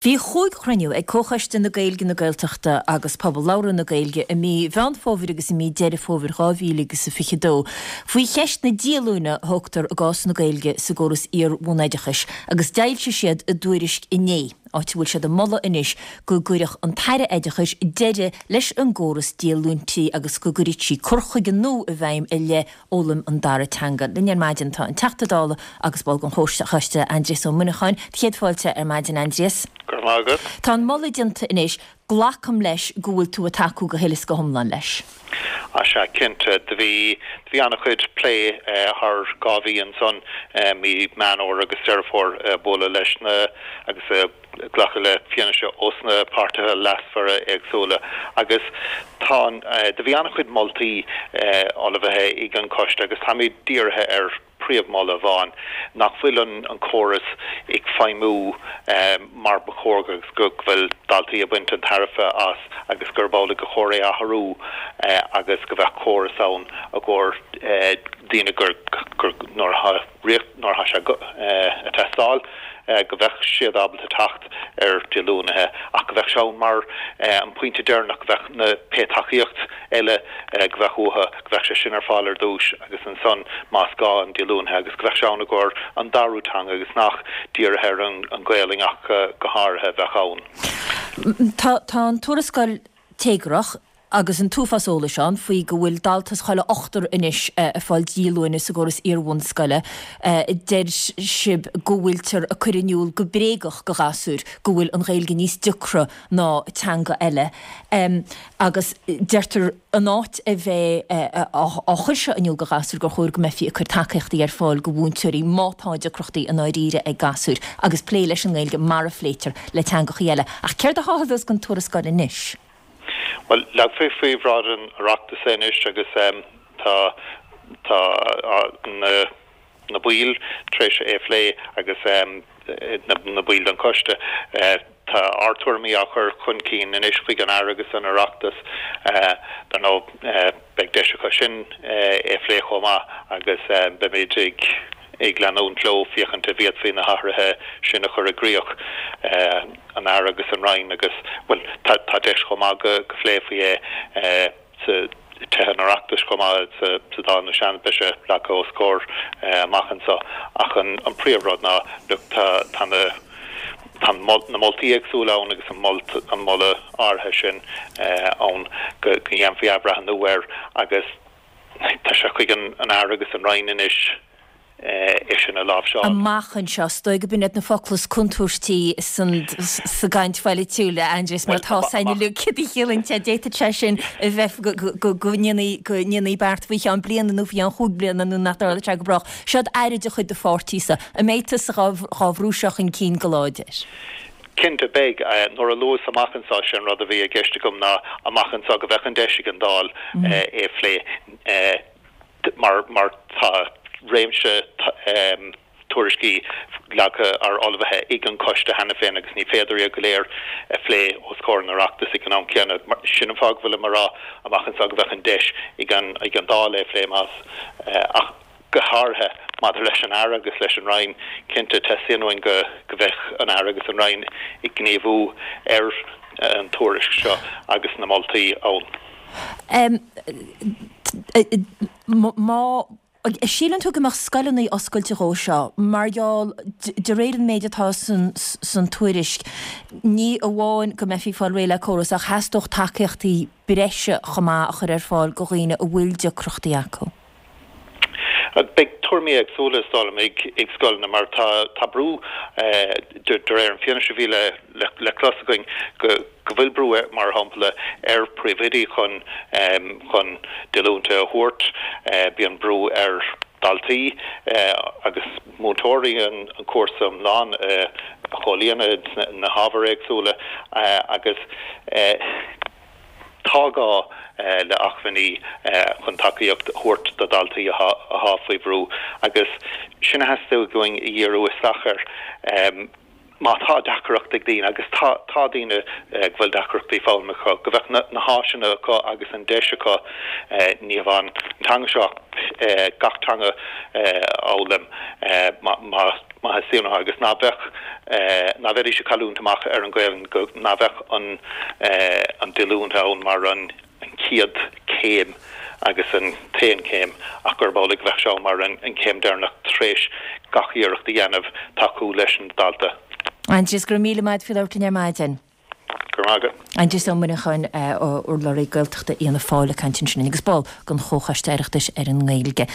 Bhí chúig chruinniú ag Comhchoiste na Gaeilge, na Gaeltachta agus Pobal Labhartha na Gaeilge i mí Mheán Fómhair agus i mí Deireadh Fómhair 2022 faoi cheist na díolúine a thógtar i gcás na Gaeilge sa gcóras iar-bhunoideachais agus d'fhoilsigh siad a dtuairisc inné, áit a bhfuil siad ag moladh anois go gcuirfeadh an tAire Oideachais deireadh leis an gcóras díolúintí agus go gcuirfeadh sí cur chuige nua i bhfeidhm i leith fhoghlaim an dara teanga. Linn ar maidin tá an Teachta Dála agus ball den Chomhchoiste, Aindrias Ó Muineacháin. Céad fáilte ar maidin, Aindrias. Go raibh maith agat. Tá an moladh déanta anois. Glacaim leis go bhfuil tú ag tacú go huile is go hiomlán leis. Á sea, cinnte. Do bhí, do bhí an-chuid plé thar 2 mhí ansan, mí Meán Fhómhair agus Deireadh Fómhair, bualadh leis na, agus glacadh le fianaise ós na páirtithe leasmhara éagsúla agus tá an, do bhí an-chuid moltaí ullmhaithe ag an choiste agus táimid dírithe ar príomh-mholadh amháin, nach bhfuil an an córas ag feidhmiú mar ba chóir agus go bhfuil daltaí ag baint an tairbhe as agus gurb amhlaidh gur chóir é a athrú agus go bheadh córas ann i gcomhair daoine gur gur nuair atá nuair atá sé ag teastáil, go bheadh siad ábalta teacht ar díolúine ach go bheadh sé ann mar an pointe deireanach, go bheadh na pé tacaíocht eile go bheadh uathu, go bheadh sé sin ar fáil ar dtús agus ansan más gá an díolúine agus go bheadh sé ann i gcomhair an darú teanga agus nach dírithe ar an Ghaelainn ach go háirithe a bheadh ann. Tá an tuarascáil téagarthach. agus an t-uafás eolais ann faoi go bhfuil dalta as chuile ochtar anois ag fáil díolúine sa gcóras iarbhunscoile. Deir sibh go bhfuiltear ag cur in iúl go bréagach go ghasúir go bhfuil an Ghaeilge níos deacra ná teanga eile agus deirtear in áit a bheith á chur seo in iúl go ghasúir gur chóir go mbeifí ag cur tacaíochtaí ar fáil go mhúinteoirí má tá deacrachtaí i ndáiríre ag gasúir agus plé leis an nGaeilge mar a phléitear le teangachaí eile. Ach céard atá á thuas den tuarascáil anois? Bhuel, leagfaí faoi bhráid an Oireachtais é anois agus tá tá na na baill tar éis é a phlé agus na baill den choiste. Tá ár dtuairimí á chur chun cinn anois chuig an Aire agus an Oireachtas. Dar ndóigh, beidh deis acu sin é a phlé chomh maith agus beimid ag ag leanúint leo féachaint an bhféadfaí na hathruithe sin a chur i gcríoch. an Aire agus an Roinn agus, bhuel, tá tá deis chomh maith go go phléifí é sa Tithe an Oireachtais chomh maith sa sa Dáil nó Seanad, beidh sé leagtha os comhair amach anseo. Ach an an príomhrud ná, look, tá tá na tá na moltaí éagsúla ann agus an molt an moladh áirithe sin ann go go ndéanfaí athbhreithniú air agus tá sé chuig an an Aire agus an Roinn anois é sin a láimhseáil. amach anseo. Is dóigh gurb in iad na focla is contúirtí sa gcaint pholaitiúil, a Aindrias, mar tá 's againn uilig céard a chiallaíonn sé. D'fhéadfadh sé sin a bheith go ndéanfaí beart faoi cheann bliana nó faoi cheann chúig bliana nó nach dtarlóidh sé go brách. Seod Aire de chuid do pháirtísa. An mbeidh tusa dhá bhrú seo chun cinn go láidir? Cinnte, beidh. Nuair a luas amach anseo, sé an rud a bhí i gceist agam ná amach anseo go bheadh an deis ag an Dáil é a phlé. mar mar tá réimse tuairiscí leagtha ar ullmhaithe ag an choiste cheana féin agus ní féidir iad go léir a phlé os comhair an Oireachtais ag an am céanna. Sin an fáth go bhfuilim ag rá amach anseo go bheadh an deis ag an ag an Dáil é a phlé más ach go háirithe maidir leis an Aire agus leis an Roinn, cinnte teastaíonn uainn go go bheadh an Aire agus an Roinn ag gníomhú ar an tuairisc seo agus na moltaí ann. Má síleann tú go mbeadh scoileanna oscailte dhó seo, mar gheall, de réir an méid atá san tuairisc, ní amháin go mbeifí ag fáil réidh le córas ach theastódh tacaíochtaí breise chomh maith a chur ar fáil go dhaoine a bhfuil deacrachtaí acu. Beidh tuairimí éagsúla, is dóigh liom, ag scoileanna mar tá brú, de réir an fianaise a bhí le clos againn, go bhfuil brú, mar shampla, ar phríomhoidí chun chun díolúinte a thabhairt. Bíonn brú ar dhaltaí agus múinteoirí an cúrsa iomlán a chomhlíonadh sna hábhair éagsúla agus. Tá gá le acmhainní chun tacaíocht a thabhairt do dhaltaí atá faoi bhrú agus sin a theastaigh uainn a dhíriú isteach air. Má tá deacracht ag daoine, agus tá, tá daoine go bhfuil deacrachtaí foghlama acu, go bheadh na háiseanna acu agus an deis acu ní hamháin an teanga seo ach gach teanga a fhoghlaim má má theastaíonn uathu agus ná beadh, ná bheidís ag cailliúint amach ar an Ghaelainn, go, ná bheadh an an díolúine ann mar an. an chéad chéim agus an t-aon chéim ach gurb amhlaidh go bheadh sé ann mar an chéim deireanach tar éis gach iarracht a dhéanamh tacú leis an dalta. Aindrias, go raibh míle maith agat faoi labhairt linn ar maidin. Go raibh maith agat. Aindrias Ó Muineacháin, urlabhraí Gaeltachta Fhianna Fáil ag caint ansin agus ball den Chomhchoiste Oireachtais ar an nGaeilge.